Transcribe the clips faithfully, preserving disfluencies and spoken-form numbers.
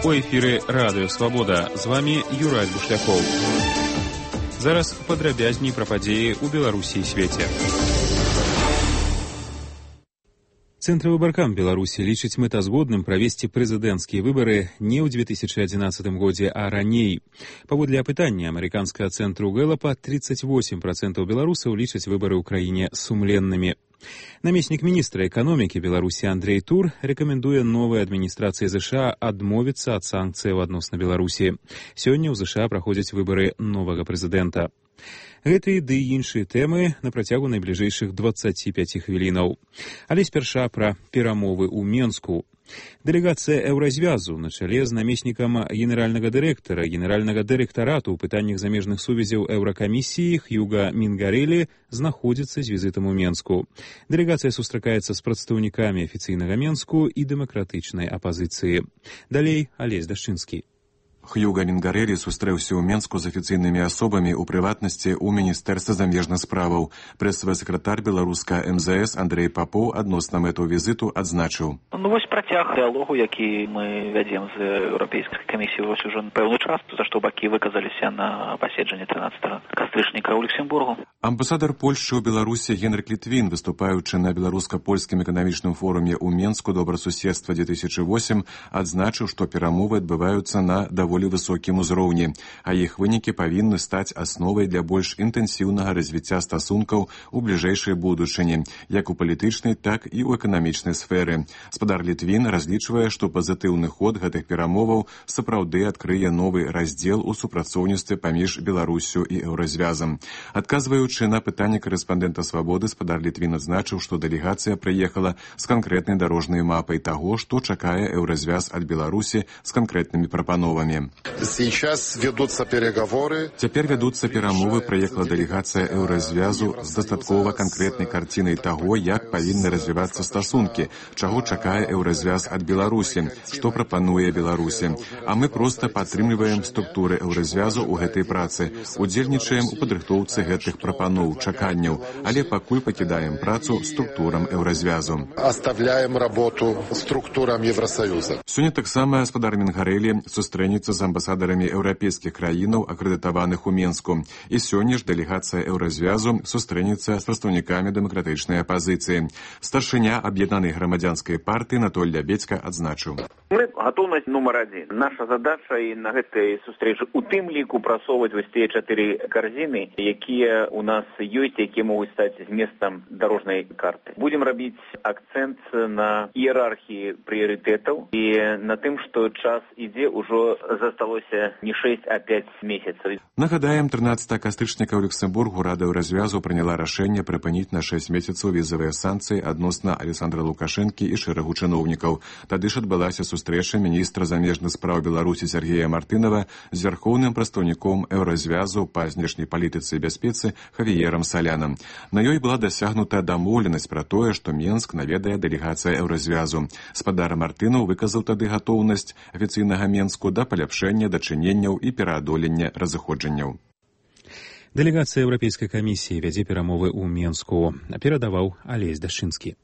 У эфіры Радыё Свабода. З вамі Юрай Бушлякоў. Зараз падрабязней пра падзеі ў Беларусі і свеце. Цэнтравыбаркам Беларусі лічыць мэтазгодным правесці прэзідэнцкія выбары не ў две тысячы адзінаццатым годзе, а раней. Паводле апытання амерыканскага цэнтру Гэлапа тридцать восемь процентов беларусаў лічаць выбары ў краіне сумленнымі. Намеснік міністра эканомікі Беларусі Андрей Тур рэкамендуе новай адміністрацыі ЗША адмовіцца ад санкцыяў адносна Беларусі. Сёння ў ЗША праходзяць выбары новага прэзідэнта. Гэтыя ды іншыя тэмы на працягу найбліжэйшых дваццаці пяці хвілінаў. Але спярша пра перамовы ў Менску. Дэлегацыя Еўразвязу на чале з намеснікам генеральнага дырэктара генеральнага дырэктарату ў пытаннях замежных сувязяў Еўракамісіі Хьюга Мінгарэлі знаходзіцца з візітам у Менску. Дэлегацыя сустракаецца з прадстаўнікамі афіцыйнага Менску і дэмакратычнай апазіцыі. Далей Алесь Дашчынскі. Хьюга Мінгарэлі сустрэўся ў Менску з афіцыйнымі асобамі, у прыватнасці ў Міністэрстве замежных справаў. Прэсавы сакратар беларуска эм зэ эс Андрей Папоў адносна мэту візіту адзначыў. Ну вось працяг дыалогу, які мы вядзем з Еўрапейскай камісіяй вось ужо пэўны час, за што бакі выказаліся на паседжанні трынаццатага кастрычніка ў Люксембургу. Амбасадар Польшчы ў Беларусі Генрык Літвін, выступаючы на беларуска-польскім эканамічным форуме ў Менску «Добрасуседства две тысячи восемь», адзначыў, што перамовы адбываюцца на даволі высокім узроўні, а іх вынікі павінны стаць асновай для больш інтэнсіўнага развіцця стасункаў у бліжэйшай будучыні, як у палітычнай, так і ў эканамічнай сферы. Спадар Літвін разлічвае, што пазітыўны ход гэтых перамоваў сапраўды адкрые новы раздзел у супрацоўніцтве паміж Беларусю і Еўразвязам. Адказваючы на пытанне корэспандэнта «Свабоды», спадар Літвін адзначыў, што дэлегацыя прыехала з канкрэтнай дарожнай мапай таго, што чакае Еўразвяз ад Беларусі з канкрэтнымі прапановамі. Сейчас ведутся переговоры. Цяпер вядуцца перамовы, прыехала дэлегацыя Еўразвязу з дастаткова канкрэтнай карцінай таго, як павінны развівацца стасункі, чаго чакае Еўразвяз ад Беларусі, што прапануе Беларусі. А мы проста падтрымліваем структуры Еўразвязу ў гэтай працы, удзельнічаем у падрыхтоўцы гэтых прапаноў, чаканняў, але пакуль пакідаем працу структурам Еўразвязу. Оставляем работу структурам Евросоюза. Сёння таксама спадар Мінгарэлі сустрэнецца з амбасадарамі еўрапейскіх краінаў, акрэдытаваных у Менску. І сёння ж дэлегацыя Еўразвязу сустрэнецца з прадстаўнікамі дэмакратычнай апазіцыі. Старшыня аб'яднанай грамадзянскай партыі Анатоль Лябедзька адзначыў. Мы готовность номер один. Наша задача і на гэтай сустрэчы у тым ліку прасоўваць вось тыя чатыры карзіны, якія у нас ёсць, якія могуць стаць зместам дарожнай карты. Будем рабіць акцэнт на іерархіі прыярытэтаў і на тым, што час ідзе, ўжо засталося не шэсць, а пяць месяцаў. Нагадаем, трынаццатага кастрычніка ў Люксембургу Рада Еўразвязу прыняла рашэнне прыпыніць на шэсць месяцаў візавыя санкцыі адносна Александра Лукашэнкі і шэрагу чыноўнікаў. Тады ж адбылася сустрэча міністра замежных спраў Беларусі Сергея Мартынова з вярхоўным прадстаўніком Еўразвязу па знешняй палітыцы і бяспецы Хавіерам Салянам. На ёй была дасягнута дамоўленасць пра тое, што Менск наведае дэлегацыя Еўразвязу. Спадар Мартынаў выказаў тады гатоўнасць афіцыйнага Менску да паляпшэння дачыненняў і пераадолення разыходжанняў. Дэлегацыя Еўрапейскай камісіі вядзе перамовы ў Менску, перадаваў Алесь Дашчынскі.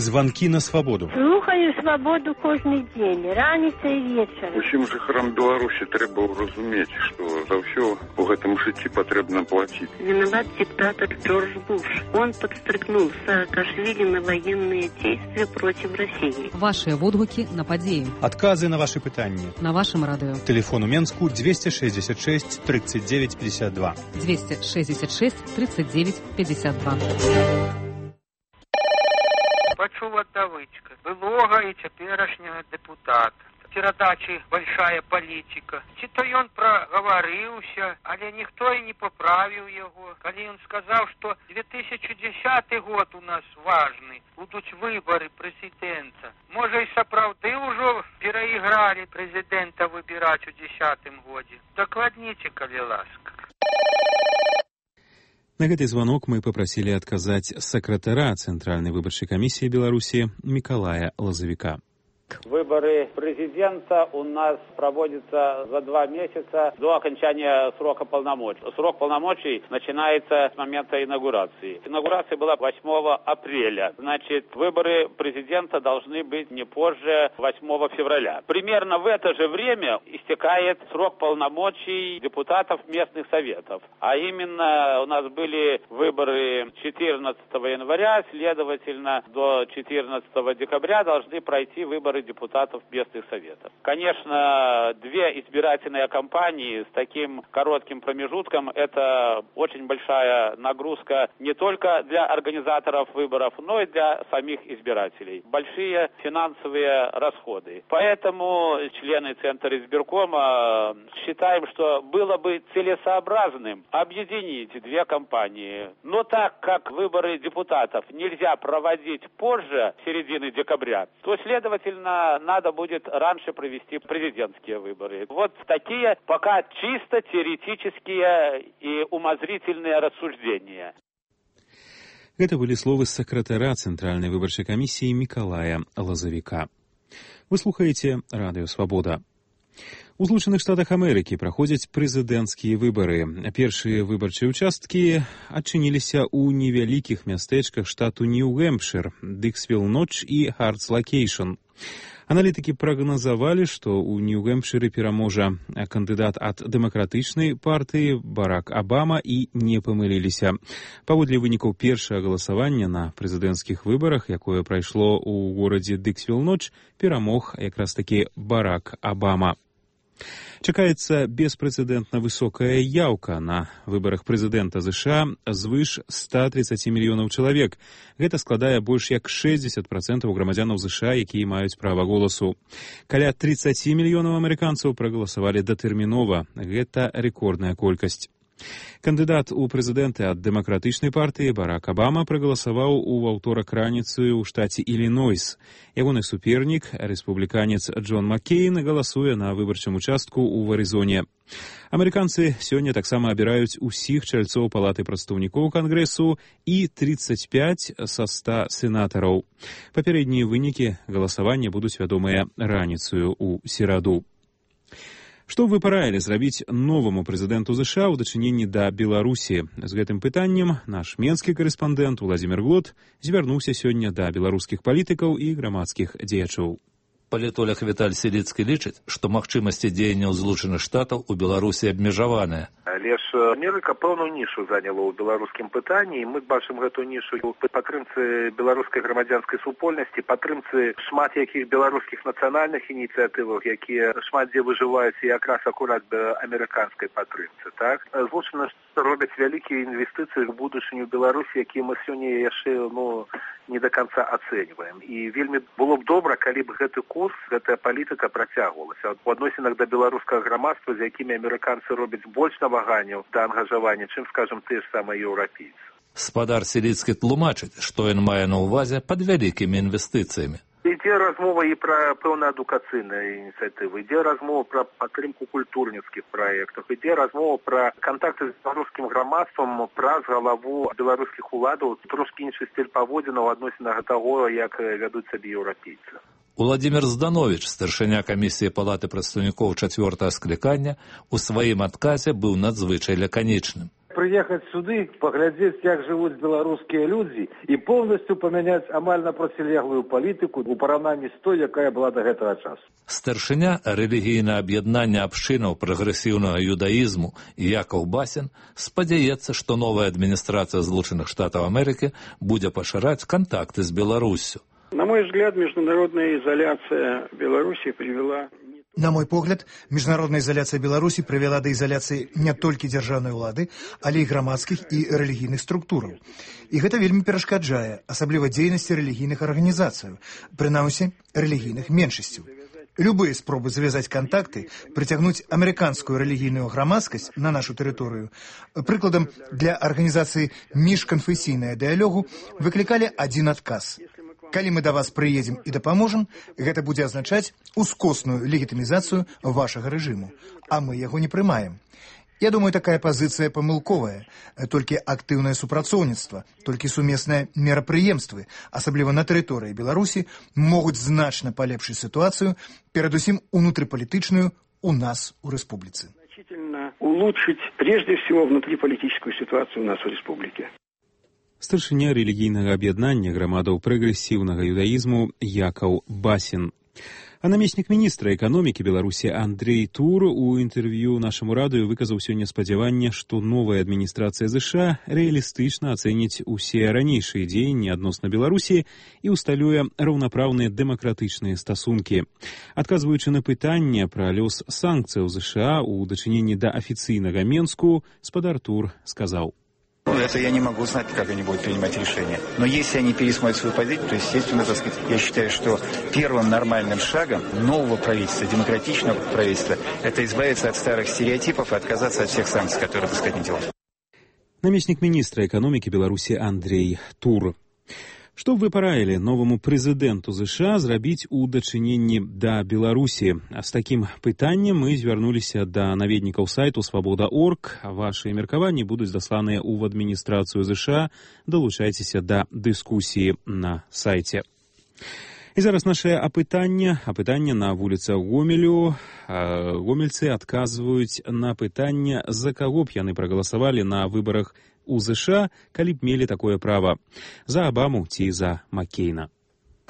Званкі на свабоду. Слухаю свабоду кожны дзень, раніца і вечар. Усім жыхарам Беларусі трэба разумець, што за ўсё у гэтым жыцці патрэбна плаціць. Виноват диктатор Джордж Буш. Он подстрыкнул Саакашвили на военные действия против России. Ваши водгуки на падзею. Адказы на ваши пытанні. На вашем радыё. Телефон у Менску двести шестьдесят шесть тридцать девять пятьдесят два. двести шестьдесят шесть тридцать девять пятьдесят два. Пачуў ад давычка былога і цяперашняга дэпутата. Перадачы «Большая палітика». Ці то ён прагаварыўся, але ніхто і не паправіў яго, калі ён сказаў, што две тысячи десятый год у нас важны, будуць выбары прэзідэнта. Можа, і сапраўды ўжо перайгралі прэзідэнта выбіраць у дзесятым годзе. Дакладніце, калі ласка. На гэты званок мы папрасілі адказаць сакратара Цэнтральнай выбарчай камісіі Беларусі Мікалая Лазавіка. Выборы президента у нас проводятся за два месяца до окончания срока полномочий. Срок полномочий начинается с момента инаугурации. Инаугурация была восьмого апреля. Значит, выборы президента должны быть не позже восьмого февраля. Примерно в это же время истекает срок полномочий депутатов местных советов. А именно у нас были выборы четырнадцатого января, следовательно, до четырнадцатого декабря должны пройти выборы депутатов местных советов. Конечно, две избирательные кампании с таким коротким промежутком – это очень большая нагрузка не только для организаторов выборов, но и для самих избирателей. Большие финансовые расходы. Поэтому члены Центра избиркома считаем, что было бы целесообразным объединить две кампании. Но так как выборы депутатов нельзя проводить позже середины декабря, то, следовательно, надо будет раньше провести президентские выборы. Вот такие пока чисто теоретические и умозрительные рассуждения. Это были словы сакратара Центральной выборчай камісіі Миколая Лазавіка. Вы слухаеце Радыё Свабода. У Злучаных Штатах Амерыкі праходзяць прэзідэнцкія выбары. Першыя выбарчыя ўчасткі адчыніліся ў невялікіх мястэчках штату Нью-Гэмпшыр, Дыксвілл-Ноч і Хартс-Локейшн. Аналітыкі прагназавалі, што ў Нью-Гэмпшыры пераможа кандыдат ад дэмакратычнай партыі Барак Абама і не памыліліся. Паводле вынікаў першага галасавання на прэзідэнцкіх выбарах, якое прайшло ў горадзе Дыксвілл-Ноч, перамог якраз такі Барак Абама. Чакаецца беспрэцэдэнтна высокая яўка на выбарах прэзідэнта ЗША звыш ста тридцати мільёнаў чалавек. Гэта складае больш як шэсцьдзесят працэнтаў грамадзянаў ЗША, якія маюць права голасу. Каля тридцати мільёнаў амерыканцаў прагаласавалі датэрмінова. Гэта рэкордная колькасць. Кандыдат у прэзідэнты ад дэмакратычнай партыі Барак Абама прагаласаваў у аўторак раніцаю ў штаце Ілінойс. Ягоны супернік, рэспубліканец Джон Маккейн, галасуе на выбарчым участку ў Арызоне. Амерыканцы сёння таксама абіраюць усіх чальцоў палаты прадстаўнікоў Кангрэсу і тридцать пять са ста сенатараў. Папярэднія вынікі галасавання будуць вядомыя раніцаю ў сераду. Што вы параілі зрабіць новаму прэзідэнту ЗША ў дачыненні да Беларусі? З гэтым пытаннем наш менскі карэспандэнт Уладзімір Глот звярнуўся сёння да беларускіх палітыкаў і грамадскіх дзеячоў. Палітолог Віталь Селіцкі лічыць, што магчымасці дзеянняў Злучаных Штатаў у Беларусі абмежаваныя. Але ж Амерыка пэўную нішу заняла ў беларускім пытанні, і мы бачым гэту нішу ў падтрымцы беларускай грамадзянскай супольнасці, падтрымцы шмат якіх беларускіх нацыянальных ініцыятываў, якія шмат дзе выжываюць якраз акурат да амерыканскай падтрымцы. Так? Злучаны робяць вялікія інвестыцыі ў будучыню Беларусі, якія мы сёння яшчэ ну, не до конца ацэньваем. І вельмі было б добра, калі б гэты курс, гэтая палітыка працягвалася. У адносінах да беларускага грамадства, з якімі амерыканцы робяць больш наваганняў да ангажавання, чым, скажам, тыя ж самыя еўрапейцы. Спадар Селіцкі тлумачыць, што ён мае на ўвазе пад вялікімі інвестыцыямі. Ідзе размова і пра пэўна адукацыйныя ініцыятывы, ідзе размова пра падтрымку культурніцкіх праектаў, ідзе размова пра кантакты з беларускім грамадствам праз галаву беларускіх уладаў, трошкі іншы стыль паводзінаў у адносінах таго, як вядуць сабе еўрапейцы. Уладзімір Здановіч, старшыня камісіі палаты прадстаўнікоў чацвёртага склікання, у сваім адказе быў надзвычай лаканічным. Приехать сюды, поглядеть, как живут белорусские люди, и полностью поменять амаль на протилеглую политику у параўнанні з той, якая была до гэтага часу. Старшыня рэлігійнае аб'яднання абшчынаў прагрэсіўнага юдаізму Якаў Басін спадзяецца, што новая адміністрацыя Злучаных Штатаў Амерыкі будзе пашыраць кантакты з Беларуссю. На мой взгляд, международная изоляция Беларуси привела... На мой погляд, міжнародная ізаляцыя Беларусі прывяла да ізаляцыі не толькі дзяржаўнай улады, але і грамадскіх і рэлігійных структураў. І гэта вельмі перашкаджае, асабліва дзейнасці рэлігійных арганізацыяў, прынамсі рэлігійных меншасцяў. Любыя спробы завязаць кантакты, прыцягнуць амерыканскую рэлігійную грамадскасць на нашу тэрыторыю, прыкладам для арганізацыі міжканфесійнага дыялогу, выклікалі адзін адказ. Калі мы да вас прыедзем і дапаможам, гэта будзе азначаць ускосную легітымізацыю вашага рэжыму, а мы яго не прымаем. Я думаю, такая пазіцыя памылковая. Толькі актыўнае супрацоўніцтва, толькі сумесныя мерапрыемствы, асабліва на тэрыторыі Беларусі, могуць значна палепшыць сітуацыю, перадусім унутрыпалітычную у нас у рэспубліцы. Значительно улучшить прежде всего внутриполитическую ситуацию у нас в республике. Старшыня рэлігійнага аб'яднання грамадаў прагрэсіўнага юдаізму Якаў Басін. А намеснік міністра эканомікі Беларусі Андрей Тур у інтэрв'ю нашаму радыё выказаў сёння спадзяванне, што новая адміністрацыя ЗША рэалістычна ацэніць усе ранейшыя дзеянні адносна Беларусі і ўсталюе раўнапраўныя дэмакратычныя стасункі. Адказваючы на пытанне пра лёс санкцыяў ЗША у дачыненні да афіцыйнага Менску, спадар Тур сказаў: Это я не могу знать, как они будут принимать решения. Но если они пересмотрят свою позицию, то, естественно, так сказать, я считаю, что первым нормальным шагом нового правительства, демократичного правительства, это избавиться от старых стереотипов и отказаться от всех санкций, которые, так сказать, не делают. Намеснік міністра эканомікі Беларусі Андрей Тур. Што б вы параілі новаму прэзідэнту ЗША зрабіць у дачыненні да Беларусі? З такім пытаннем мы звярнуліся да наведнікаў сайту свабода точка орг. Вашы меркаванні будуць дасланыя ў адміністрацыю ЗША. Далучайцеся да дыскусіі на сайце. І зараз нашае апытанне. Апытанне на вуліцах Гомелю. Гомельцы адказваюць на пытанне, за каго б яны прагаласавалі на выбарах у ЗША, калі б мелі такое права. За Обаму ці за Маккейна?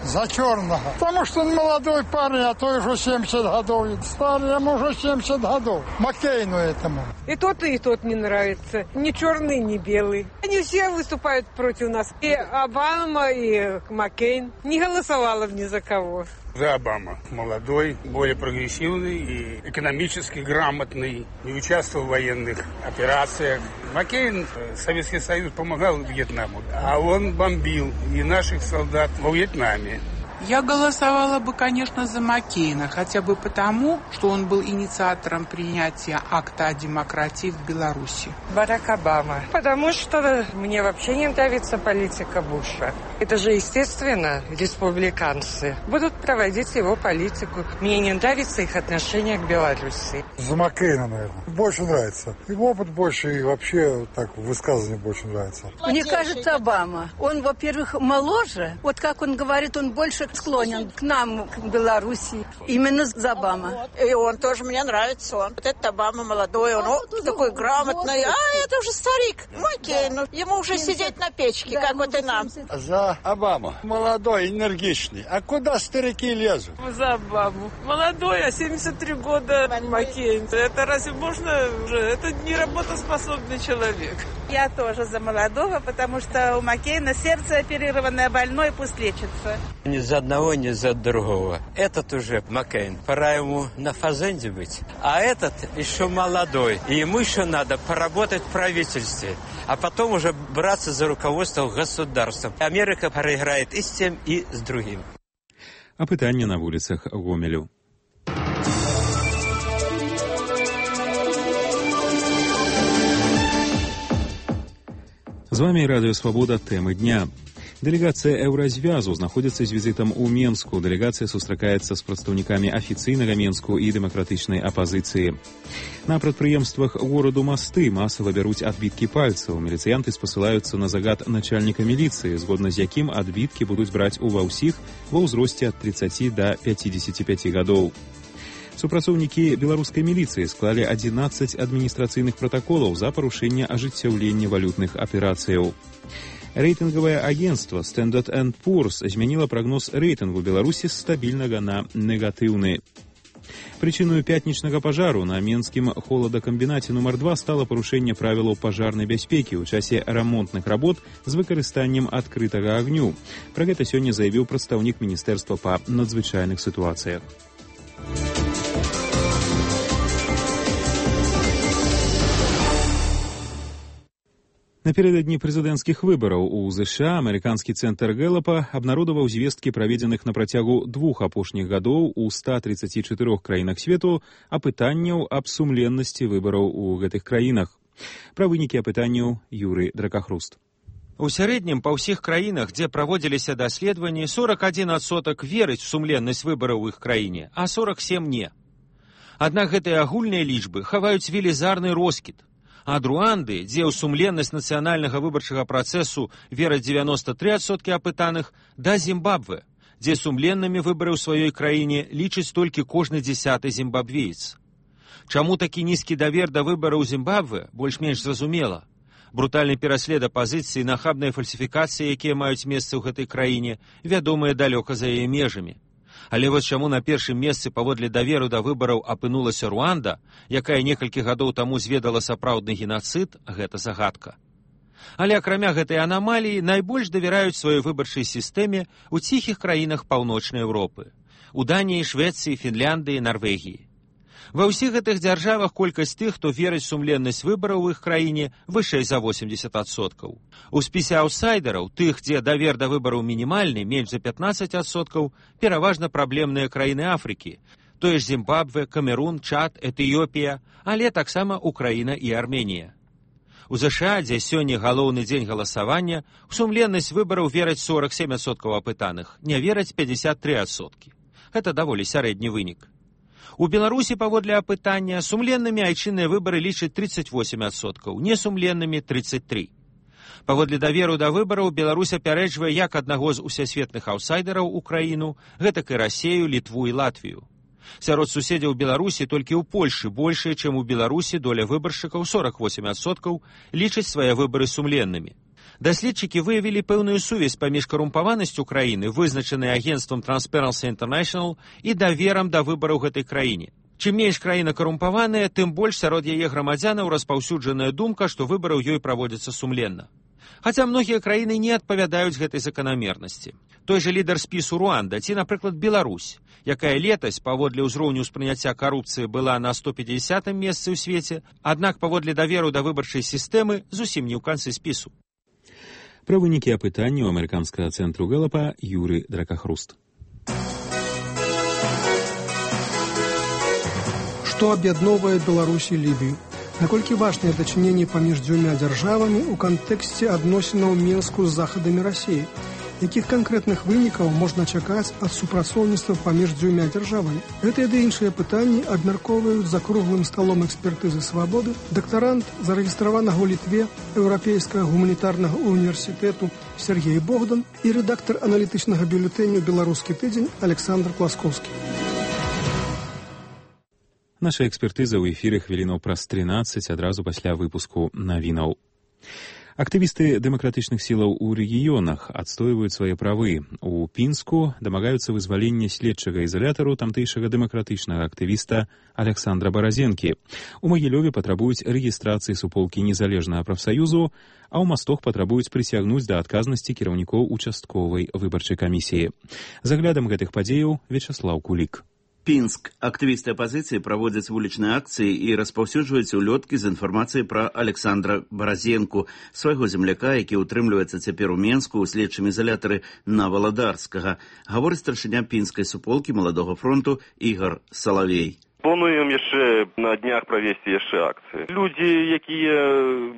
За черного. Потому что он молодой парень, а то уже семьдесят годов. Старый, ему уже семьдесят годов. Маккейну этому. И тот, и тот не нравится. Ни черный, ни белый. Они все выступают против нас. И Обама, и Маккейн. Не голосовала бы ни за кого. За Обама. Молодой, более прогрессивный и экономически грамотный. Не участвовал в военных операциях. Маккейн, Советский Союз помогал Вьетнаму, а он бомбил и наших солдат во Вьетнаме. Я голосовала бы, конечно, за Маккейна, хотя бы потому, что он был инициатором принятия акта о демократии в Беларуси. Барак Обама. Потому что мне вообще не нравится политика Буша. Это же, естественно, республиканцы будут проводить его политику. Мне не нравится их отношение к Беларуси. За Маккейна, наверное. Больше нравится. Его опыт больше, и вообще так высказывание больше нравится. Мне кажется, Обама. Он, во-первых, моложе. Вот как он говорит, он больше склонен к нам, к Беларуси. Именно за Обама. И он тоже мне нравится. Он. Вот этот Обама молодой, он о, такой грамотный. А это уже старик. Маккейн. Ну, ему уже сидеть на печке, да, как вот и нам. За Обаму. Молодой, энергичный. А куда старики лезут? За Обаму. Молодой, а семьдесят три года Маккейн. Это разве можно уже? Это не работоспособный человек. Я тоже за молодого, потому что у Маккейна сердце оперированное, больное, пусть лечится. Ни за одного, ни за другого. Этот уже Маккейн. Пора ему на фазенде быть. А этот еще молодой. И ему еще надо поработать в правительстве. А потом уже браться за руководство государством. Америка проиграет и с тем, и с другим. А пытанне на вуліцах Гомелю. З вами Радыё Свабода. Тэмы дня. Дэлегацыя Еўразвязу знаходзіцца з візітам у Менску. Дэлегацыя сустракаецца з прадстаўнікамі афіцыйнага Менску і дэмакратычнай апазіцыі. На прадпрыемствах гораду Масты масава бяруць адбіткі пальцаў. Міліцыянты спасылаюцца на загад начальніка міліцыі, згодна з якім адбіткі будуць браць ува ўсіх ва ўзросце ад тридцати да пятидесяти пяти гадоў. Супрацоўнікі беларускай міліцыі склалі адзінаццаць адміністрацыйных пратаколаў за парушэнне ажыццяўлення валютных аперацыяў. Рэйтынгавае агенцтва Standard энд Poor's змяніла прагноз рэйтынгу Беларусі з стабільнага на негатыўны. Прычыною пятнічнага пажару на менскім холадакамбінаце нумар два стала парушэнне правілаў пажарнай бяспекі ў часе рамонтных работ з выкарыстаннем адкрытага агню. Пра гэта сёння заявіў прадстаўнік міністэрства па надзвычайных сітуацыях. Напередадні прэзідэнцкіх выбараў у ЗША амерыканскі цэнтр Гэлапа абнародаваў звесткі, праведзеных на працягу двух апошніх гадоў у ста тридцати чатырох краінах свету, апытанняў аб сумленнасці выбараў у гэтых краінах. Пра вынікі апытанняў Юрый Дракахруст. У сярэднім па ўсіх краінах, дзе праводзіліся даследаванні, сорок один адсотак верыць у сумленнасць выбараў у іх краіне, а сорок семь не. Аднак гэтыя агульныя лічбы хаваюць велізарны роскід. Ад Руанды, дзе ў сумленнасць нацыянальнага выбарчага працэсу вераць дзевяноста тры адсоткі апытаных, да Зімбабве, дзе сумленнымі выбары ў сваёй краіне лічыць толькі кожны дзясяты зімбабвеец. Чаму такі нізкі давер да выбараў Зімбабве, больш-менш зразумела. Брутальны пераслед апазіцыі, нахабныя фальсіфікацыі, якія маюць месца ў гэтай краіне, вядомыя далёка за яе межамі. Але вось чаму на першым месцы паводле даверу да выбараў апынулася Руанда, якая некалькі гадоў таму зведала сапраўдны генацыд, гэта загадка. Але акрамя гэтай анамаліі найбольш давяраюць сваёй выбарчай сістэме ў ціхіх краінах Паўночнай Еўропы, у Даніі, Швецыі, Фінляндыі, Нарвегіі. Ва ўсіх гэтых дзяржавах колькасць тых, хто верыць сумленнасць выбараў у іх краіне, вышэй за восемьдесят адсоткаў. У спісе аўтсайдераў, тых, дзе давер да выбараў мінімальны, менш за пятнадцать адсоткаў, пераважна праблемныя краіны Афрыкі, тое ж Зімбабве, Камерун, Чад, Этыёпія, але таксама Украіна і Арменія. У ЗША, дзе сёння галоўны дзень галасавання, у сумленнасць выбараў вераць сорок семь адсоткаў апытаных, не вераць пятьдесят три адсоткі. Гэта даволі сярэдні вынік. У Беларусі паводле апытання сумленнымі айчынныя выбары лічаць тридцать восемь адсоткаў, несумленнымі тридцать три. Паводле даверу да выбараў Беларусь апярэджвае як аднаго з усесветных аўтсайдераў у краіну, гэтак і Расею, Літву і Латвію. Сярод суседзяў Беларусі толькі ў Польшы большая, чым у Беларусі доля выбаршчыкаў сорок восемь адсоткаў лічаць свае выбары сумленнымі. Даследчыкі выявілі пэўную сувязь паміж карумпаванасцю краіны, вызначанай агенцтвам Transparency International, і даверам да выбараў гэтай краіне. Чым менш краіна карумпаваная, тым больш сярод яе грамадзянаў распаўсюджаная думка, што выбары ў ёй праводзяцца сумленна. Хаця многія краіны не адпавядаюць гэтай заканамернасці. Той жа лідар спісу Руанда ці, напрыклад, Беларусь, якая летась паводле ўзроўню ўспрыняцця карупцыі была на сто пятидесятым месцы ў свеце, аднак паводле даверу да выбарчай сістэмы зусім не ў канцы спісу. Пра вынікі апытання ў амерыканскага цэнтру Гэлапа Юры Дракахруст. Што аб'ядноўвае Беларусь і Лібію? Наколькі важныя дачыненні паміж дзвюма дзяржавамі ў кантэксце адносінаў Мінску з захадамі Расіі? Якіх канкрэтных вынікаў можна чакаць ад супрацоўніцтва паміж дзвюма дзяржавамі? Гэтыя ды іншыя пытанні абмяркоўваюць за круглым сталом экспертызы свабоды дактарант, зарэгістраванага ў Літве Еўрапейскага гуманітарнага універсітэту Сергей Богдан і рэдактар аналітычнага бюлетэню «Беларускі тыдзень» Александр Класкоўскі. Наша экспертыза ў эфіры хвілінаў праз трынаццаць адразу пасля выпуску навінаў. Актывісты дэмакратычных сілаў у рэгіёнах адстойваюць свае правы. У Пінску дамагаюцца вызвалення следчага ізалятару тамтэйшага дэмакратычнага актывіста Александра Баразенкі. У Магілёве патрабуюць рэгістрацыі суполкі незалежнага прафсаюзу, а ў Мастох патрабуюць прысягнуць да адказнасці кіраўнікоў участковай выбарчай камісіі. За аглядам гэтых падзеяў Вячаслаў Кулік. Пінск. Актывісты апазіцыі праводзяць вулічныя акцыі і распаўсюджваюць улёткі з інфармацыяй пра Александра Баразенку, свайго земляка, які ўтрымліваецца цяпер у Менску ў следчым ізалятары на Валадарскага, гаворыць старшыня пінскай суполкі Маладога фронту Ігор Салавей. Плануем яшчэ на днях правесці яшчэ акцыі. Людзі, якія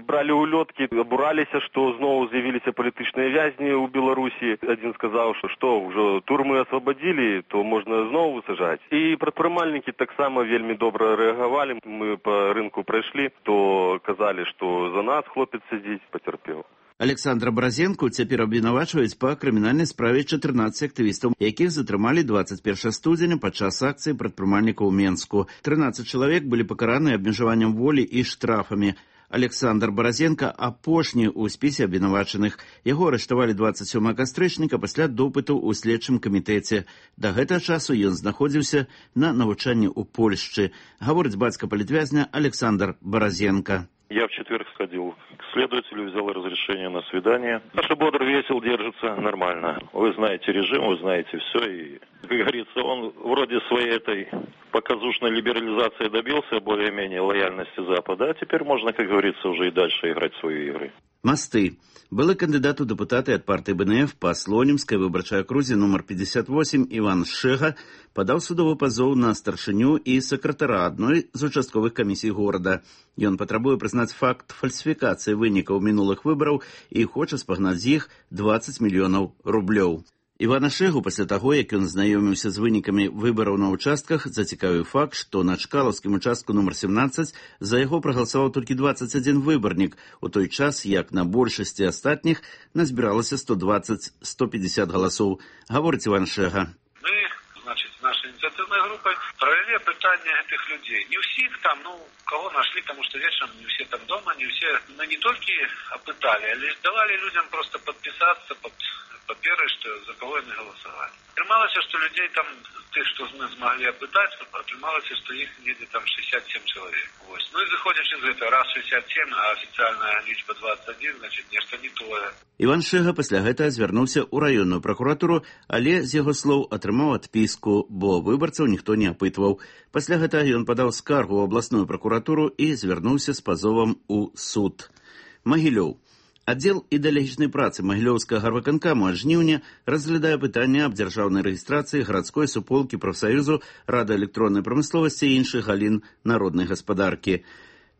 бралі улёткі, абураліся, што зноў з'явіліся палітычныя вязні ў Беларусі. Адзін сказаў, што што, ўжо турмы асвабадзілі, то можна зноў высажаць. І прадпрымальнікі таксама вельмі добра рэагавалі. Мы па рынку прайшлі, то казалі, што за нас хлопец сядзіць, пацярпеў. Александра Баразенку цяпер абвінавачваюць па крымінальнай справе чатырнаццаць актывістаў, якіх затрымалі двадцать першага студзеня падчас акцыі прадпрымальнікаў у Менску. трынаццаць чалавек былі пакараны абмежаваннем волі і штрафамі. Александр Баразенка апошні ў спісе абвінавачаных. Яго арыштавалі двадцать сёмага кастрычніка пасля допыту ў следчым камітэце. Да гэтага часу ён знаходзіўся на навучанні ў Польшчы. Гаворыць бацька палітвязня Александр Баразенка. Я в четверг сходил к следователю, взял разрешение на свидание. Саша бодр, весел, держится нормально. Вы знаете режим, вы знаете все. И, как говорится, он вроде своей этой показушной либерализации добился более-менее лояльности Запада. А теперь можно, как говорится, уже и дальше играть в свои игры. Масты. Былы кандидат у депутаты от партии БНФ по Слонимской выборчей окрузе номер пятьдесят восемь Иван Шега подал судовый позов на старшыню и сакратара одной из участковых комиссий города. Ён патрабуе признать факт фальсификации вынікаў минулых выборов и хочет спагнаць з іх двадцать миллионов рублёў. Івана Шэгу пасля таго, як ён знаёміўся з вынікамі выбараў на ўчастках, зацікавіў факт, што на Чкалаўскім участку нумар семнаццаць за яго прагаласаваў толькі дваццаць адзін выбарнік, у той час, як на большасці астатніх назбіралася сто дваццаць - сто пятьдесят галасоў. Гаворыць Іван Шэга. Мы, значит, нашей инициативной группой провели опытание этих людей. Не всех там, ну, кого нашли, потому что вечером не все там дома, не все. Мы не только опытали, а лишь давали людям просто подписаться под паперы, что за кого они голосовали. Приймалося, что людей там, тех, что мы смогли опытать, приймалося, что их где-то там шестьдесят семь человек. Вот. Ну и выходишь из этого, раз шестьдесят семь, а официальная лічба двадцать один, значит, нечто не тое. Іван Шэга пасля гэтага звярнуўся ў раённую пракуратуру, але, з яго слоў, атрымаў адпіску, бо выбарцаў ніхто не апытваў. Пасля гэтага ён падаў скаргу ў абласную пракуратуру і звярнуўся з пазовам у суд. Магілёў. Аддзел ідэалагічнай працы Магілёўскага гарвыканкаму ад жніўня разглядае пытанне аб дзяржаўнай рэгістрацыі гарадской суполкі прафсаюзу радыёэлектроннай прамысловасці і іншых галін народнай гаспадаркі.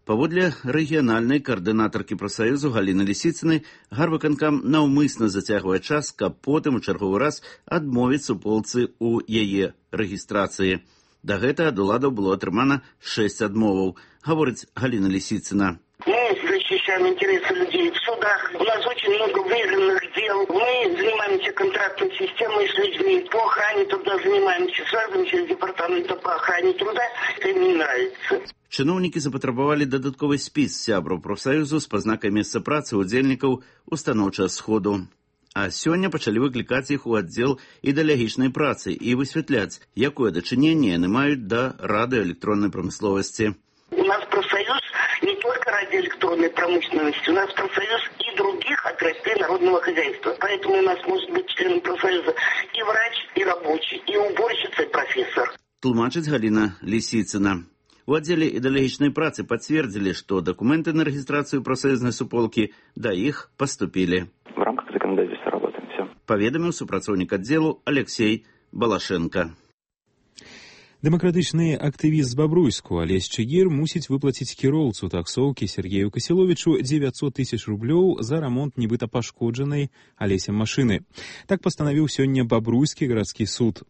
Паводле рэгіянальнай каардынатаркі прафсаюзу Галіны Лісіцынай, гарвыканкам наўмысна зацягвае час, каб потым у чарговы раз адмовіць суполцы ў яе рэгістрацыі. Да гэтага ад уладаў было атрымана шэсць адмоваў, гаворыць Галіна Лисицына. Мы защищаем интересы людей в судах. У нас очень много выигранных дел. Мы занимаемся контрактной системой с людьми. По охране труда занимаемся. Связываемся с департаментом по охране труда. Это им не нравится. Чыноўнікі запатрабавалі дадатковы спіс сябраў прафсаюзу з пазнакай месца працы удзельнікаў устаноўчага сходу. А сёння пачалі выклікаць іх у аддзел ідэалагічнай працы і высвятляць, якое дачыненне яны маюць да радыёэлектроннай прамысловасці. У нас профсоюз не только радиоэлектронной промышленности, у нас профсоюз и других отраслей народного хозяйства. Поэтому у нас может быть членом профсоюза и врач, и рабочий, и уборщица, и профессор. Тлумачыць Галіна Лисицына. У аддзеле ідэалагічнай працы пацвердзілі, што дакументы на рэгістрацыю прафсаюзнай суполкі да іх паступілі. В рамках законодательства работаем. Все. Паведаміў супрацоўнік аддзелу Алексей Балашенко. Дэмакратычны актывіст з Бабруйску Алесь Чыгір мусіць выплаціць кіроўцу таксоўкі Сергею Касіловічу дзевяцьсот тысяч рублёў за рамонт нібыта пашкоджанай Алесем машыны. Так пастанавіў сёння Бабруйскі гарадскі суд.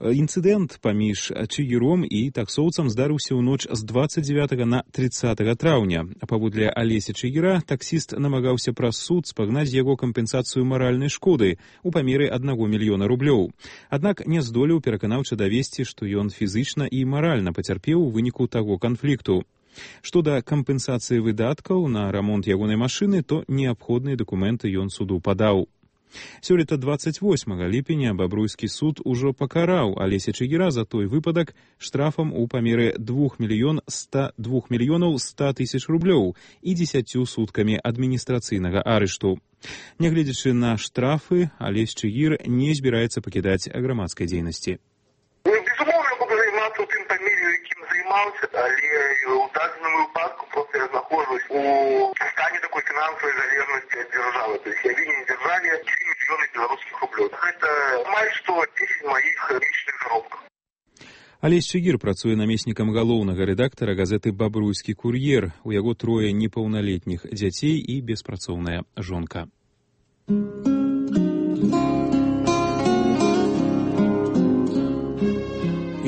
Інцыдэнт паміж Чыгіром і таксоўцам здарыўся ў ноч з дваццаць дзевятага на трыццатага траўня. Паводле Алеся Чыгіра таксіст намагаўся праз суд спагнаць з яго кампенсацыю маральнай шкоды у памеры аднаго мільёна рублёў. Аднак не здолеў пераканаўча давесці, што ён фізычна і маральна пацярпеў у выніку таго канфлікту. Што да кампенсацыі выдаткаў на рамонт ягонай машыны, то неабходныя дакументы ён суду падаў. Сёлета дваццаць восьмага ліпеня Бабруйскі суд ужо пакараў Алеся Чыгіра за той выпадак штрафам у памеры двух мільёнаў ста тысяч рублёў і дзесяццю суткамі адміністрацыйнага арышту. Нягледзячы на штрафы, Алесь Чыгір не збіраецца пакідаць грамадскай дзейнасці. Безумоўна, буду займацца ў тым памір'ю, якім займаўся, але ў дадзеным выпадку проста я знаходжусь у стане такой фінансавай залежнасці ад дзяржавы. То есть я вінен дзяржаве тры мільёны беларускіх рублёў. Гэта амаль што дзесяць маіх месячных заробкаў. Алесь Чыгір працуе намеснікам галоўнага рэдактара газеты «Бабруйскі кур'ер». У яго трое непаўналетніх дзяцей і беспрацоўная жонка.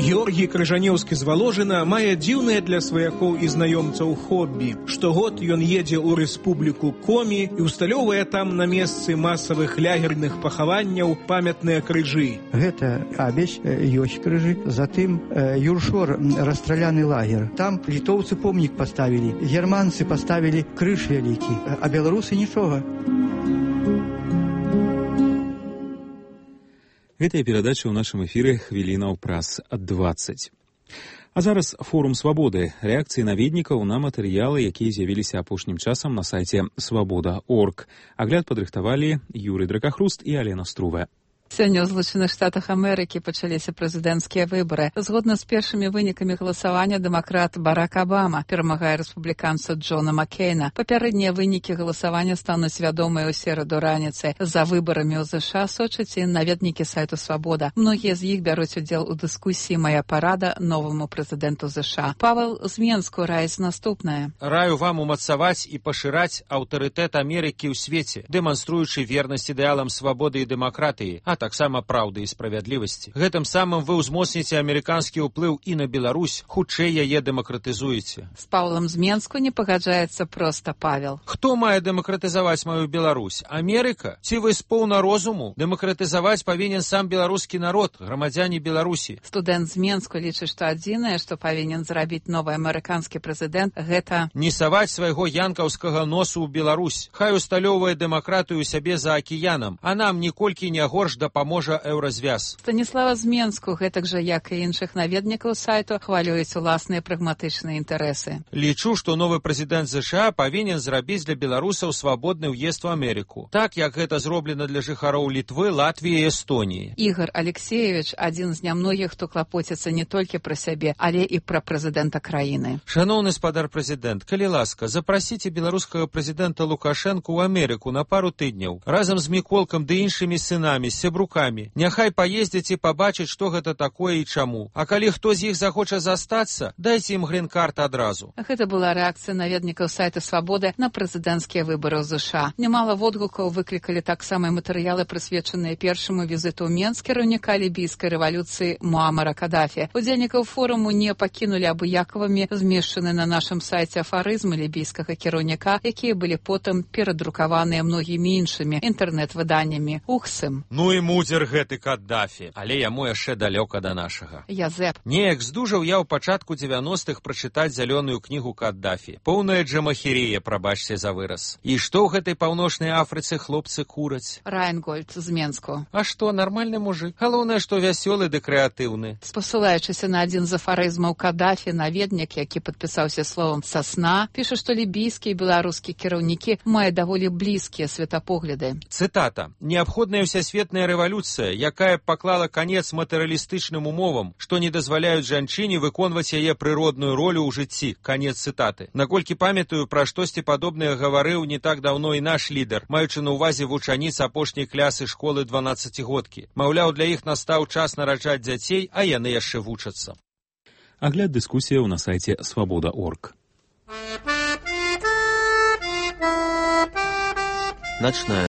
Георгій Крыжанеўскі з Валожына мае дзіўнае для сваякоў і знаёмцаў хоббі. Штогод ён едзе ў рэспубліку Комі і усталёўвае там на месцы масавых лягерных пахаванняў памятныя крыжы. Гэта Абесь, ёсць крыжы, затым Юршор, расстраляны лагер. Там літоўцы помнік паставілі, германцы паставілі крыж вялікі, а беларусы нічога. Гэтая перадача ў нашым эфіры хвілінаў праз дваццаць. А зараз форум свабоды. Рэакцыі наведнікаў на матэрыялы, якія з'явіліся апошнім часам на сайце свабода точка орг. Агляд падрыхтавалі Юрый Дракахруст і Алена Струве. Сёння ў Злучаных Штатах Амерыкі пачаліся прэзідэнцкія выбары. Згодна з першымі вынікамі галасавання дэмакрат Барак Абама перамагае рэспубліканца Джона Маккейна. Папярэднія вынікі галасавання стануць вядомыя ў сераду раніцай. За выбарамі ў ЗША сочаць і наведнікі сайту «Свабода». Многія з іх бяруць удзел у дыскусіі «Мая парада» новаму прэзідэнту ЗША. Павел з Менску раіць наступнае. Раю вам умацаваць і пашыраць аўтарытэт Амерыкі ў свеце, дэманструючы вернасць ідэалам свабоды і дэмакратыі, а таксама праўды і справядлівасці. Гэтым самым вы ўзмоцніце амерыканскі ўплыў і на Беларусь, хутчэй яе дэмакратызуеце. З Паўлам з Менску не пагаджаецца проста Павел. Хто мае дэмакратызаваць маю Беларусь? Амерыка? Ці вы з поўна розуму? Дэмакратызаваць павінен сам беларускі народ, грамадзяне Беларусі. Студэнт з Менску лічыць, што адзінае, што павінен зрабіць новы амерыканскі прэзідэнт, гэта не саваць свайго янкаўскага носу ў Беларусь. Хай усталёўвае дэмакратыю ў сябе за акіянам, а нам ніколькі не горш дапаможа еўразвяз. Станіслава з Менску, гэтак жа, як і іншых наведнікаў сайту, хвалююць уласныя прагматычныя інтарэсы. Лічу, што новы прэзідэнт ЗША павінен зрабіць для беларусаў свабодны ўезд у Амерыку. Так, як гэта зроблена для жыхароў Літвы, Латвіі і Эстоніі. Ігор Алексеевич адзін з нямногіх, хто клапоціцца не толькі пра сябе, але і пра прэзідэнта краіны. Шаноўны спадар прэзідэнт, калі ласка, запрасіце беларускага прэзідэнта Лукашэнку ў Амерыку на пару тыдняў, разам з Міколкам ды іншымі сынамі, сябрукамі. Няхай паездзяць і пабачаць, што гэта такое і чаму. А калі хто з іх захоча застацца, дайце ім грін-карт адразу. Гэта была рэакцыя наведнікаў сайта «Свабода» на прэзідэнцкія выбары ў ЗША. Нямала водгукаў выклікалі таксама і матэрыялы, прысвечаныя першаму візіту ў Менск кіраўніка лібійскай рэвалюцыі Муамара Кадафі. Удзельнікаў форуму не пакінулі абыякавымі змешчаны на нашым сайце афарызмы лібійскага кіраўніка, якія былі потым перадрукаваныя многімі іншымі інтэрнэт-выданнямі. Ухсым. Ну і мудзер гэты Каддафі, але яму яшчэ далёка да нашага. Язэп. Неяк здужаў я ў пачатку дзевяностых прачытаць зялёную кнігу Каддафі. Поўная джамахірія, прабачце за выраз. І што ў гэтай паўночнай Афрыцы хлопцы кураць? Райнгольд з Менску. А што, нармальны мужик? Галоўнае, што вясёлы ды крэатыўны. Спасылаючыся на адзін з афарызмаў Кадафі, наведнік, які падпісаўся словам «сасна», піша, што лібійскія і беларускія кіраўнікі мае даволі блізкія светапогляды. Цытата. «Неабходная ўсясветная рэвалюцыя, якая паклала канец матэрыялістычным умовам, што не дазваляюць жанчыне выконваць яе прыродную ролю ў жыцці». Канец цытаты. Наколькі памятаю, пра штосьці падобнае гаварыў не так даўно і наш лідар, маючы на ўвазе вучаніц апошняй клясы школы дванаццацігодкі. Маўляў, для іх настаў час нараджаць дзяцей, а яны яшчэ вучацца. Агляд дыскусіяў на сайце свабода точка орг. Ночная